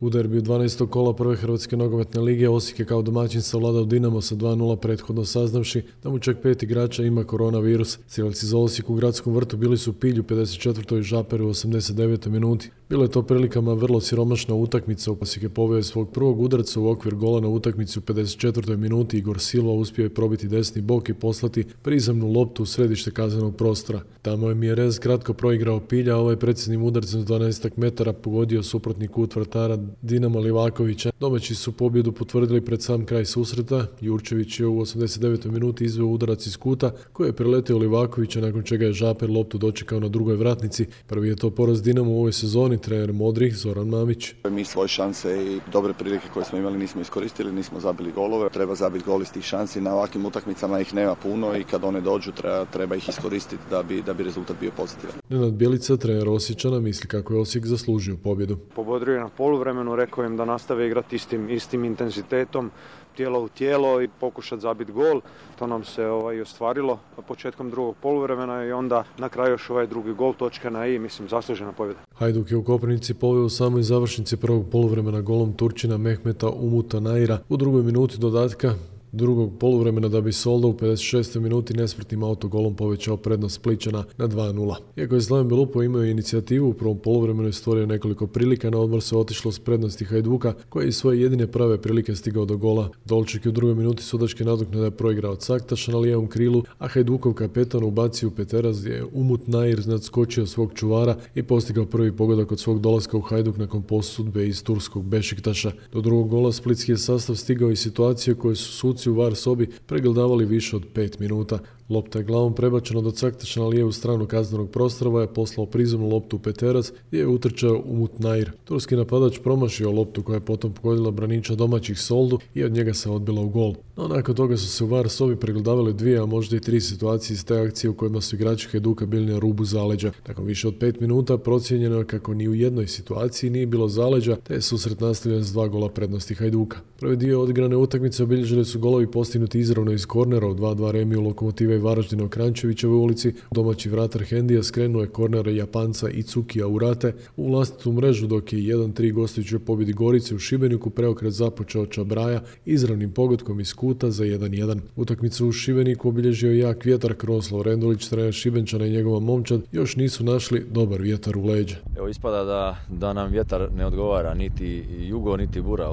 U derbiju 12. kola prve Hrvatske nogometne lige Osijek je kao domaćin savladao Dinamo sa 2:0 prethodno saznavši da mu čak 5 igrača ima koronavirus. Strelci za Osijek u Gradskom vrtu bili su Pilj u 54. i Žaper u 89. minuti. Bilo je to prilikama vrlo siromašna utakmica. Osijek je poveo svog prvog udarca u okvir gola na utakmici u 54. minuti. Igor Silva uspio je probiti desni bok i poslati prizemnu loptu u središte kaznenog prostora. Tamo je Mjerez kratko proigrao Pilja, a ovaj preciznim udarcem s 12 metara pogodio suprotni kut vratara Dinama Livakovića. Domaći su pobjedu potvrdili pred sam kraj susreta. Jurčević je u 89. minuti izveo udarac iz kuta koji je preletio Livakovića, nakon čega je Žaper loptu dočekao na drugoj vratnici. Prvi je to poraz Dinamo u ovoj sezoni. Trener modrih Zoran Mamić. Mi svoje šanse i dobre prilike koje smo imali nismo iskoristili, nismo zabili golove. Treba zabiti gol iz tih šansi. Na ovakvim utakmicama ih nema puno i kad one dođu treba ih iskoristiti da bi rezultat bio pozitivan. Nenad Bjelica, trener Osječana, misli kako je Osijek zaslužio pobjedu. Pobodrio je na poluvremenu, rekao im da nastave igrati istim intenzitetom, tijelo u tijelo i pokušati zabiti gol. To nam se i ostvarilo početkom drugog poluvremena i onda na kraju još ovaj drugi gol, točka na i, mislim, zaslužena pobjeda. Hajduk je u Koprivnici poveo u samoj završnici prvog poluvremena golom Turčina Mehmeta Umuta Naira u drugoj minuti dodatka drugog poluvremena, da bi Soldo u 56. minuti nesmrtnim autogolom povećao prednost Splićana na 2:0. Iako je Slaven Belupo imao inicijativu u prvom poluvremenu i stvorio nekoliko prilika, na odmor se otišlo s prednosti Hajduka, koji je iz svoje jedine prave prilike stigao do gola. Dolček je u drugoj minuti sudačke nadoknade proigrao Caktaša na lijevom krilu, a Hajdukov kapetan ubacio u peteraz gdje je Umut Nair nadskočio svog čuvara i postigao prvi pogodak od svog dolaska u Hajduk nakon posudbe iz turskog Bešiktaša. Do drugog gola splitski je sastav stigao i situacije koje su suci u VAR sobi pregledavali više od 5 minuta. Lopta je glavom prebačena do Caktaša na lijevu stranu kaznenog prostora, je poslao prizemnu loptu u peteraz gdje je utrčao Umut Nair. Turski napadač promašio loptu koja je potom pogodila braniča domaćih Soldu i od njega se odbila u gol. No nakon toga su se u VAR sobi pregledavali 2, a možda i 3 situacije iz te akcije u kojima su igrači Hajduka bili na rubu zaleđa. Nakon više od 5 minuta procijenjeno je kako ni u jednoj situaciji nije bilo zaleđa, te je susret nastavljen s 2 gola prednosti Hajduka. Prvi dio odigrane utakmice obilježili su golovi postignuti izravno iz kornera u 2:2 remiju Lokomotive i Varaždina u Krančevićevoj ulici. Domaći vratar Hendija skrenuo je kornera Japanca i Cukija Urate u vlastitu mrežu, dok je 1:3 gostujućoj pobjedi Gorice u Šibeniku preokret započeo Čabraja izravnim pogodkom iz kuta za 1:1. Utakmicu u Šibeniku obilježio jak vjetar. Krunoslav Rendulić, trener Šibenčana, i njegova momčad još nisu našli dobar vjetar u leđa. Evo, ispada da nam vjetar ne odgovara, niti jugo, niti bura.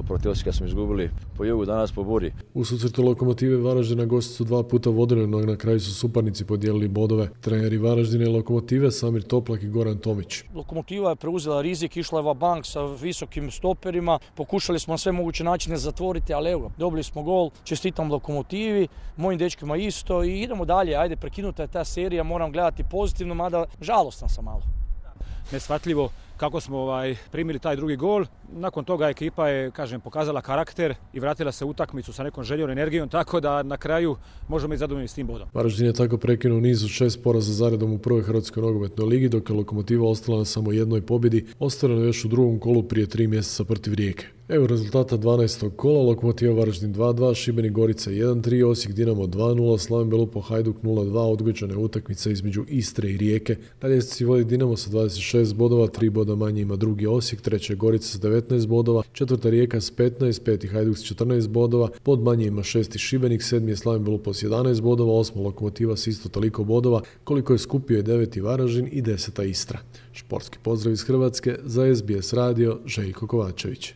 Protiv Osijeka smo izgubili po jugu, danas po buri. U susretu Lokomotive Varaždina gosti su 2 puta vodili, no na kraju su suparnici podijelili bodove. Treneri Varaždina i Lokomotive Samir Toplak i Goran Tomić. Lokomotiva je preuzela rizik, išla je va bank sa visokim stoperima, pokušali smo na sve moguće načine zatvoriti, ali evo, dobili smo gol, čestitam Lokomotivi, mojim dečkima isto i idemo dalje, ajde, prekinuta je ta serija, moram gledati pozitivno, mada žalostan sam malo. Neshvatljivo kako smo primili taj drugi gol. Nakon toga ekipa je, pokazala karakter i vratila se u utakmicu sa nekom željom, energijom, tako da na kraju možemo biti zadovoljni s tim bodom. Varaždin je tako prekinuo niz od 6 poraza zaredom u prvoj Hrvatskoj nogometnoj ligi, dok je Lokomotiva ostala na samo jednoj pobjedi, ostvareno još u drugom kolu prije 3 mjeseca protiv Rijeke. Evo rezultata 12. kola: Lokomotiva Varaždin 2:2, Šibenik Gorica 1:3, Osijek Dinamo 2:0, Slaven Belupo Hajduk 0:2, odgođena je utakmica između Istre i Rijeke. Na ljestvici vodi Dinamo sa 26 bodova, 3 boda manje ima drugi Osijek, treći je Gorica s 19 bodova, četvrta Rijeka s 15, peti Hajduk s 14 bodova, bod manje ima 6. Šibenik, 7. je Slaven Belupo s 11 bodova, 8. Lokomotiva s isto toliko bodova, koliko je skupio je 9. Varaždin i 10. Istra. Športski pozdrav iz Hrvatske, za SBS radio, Željko Kovačević.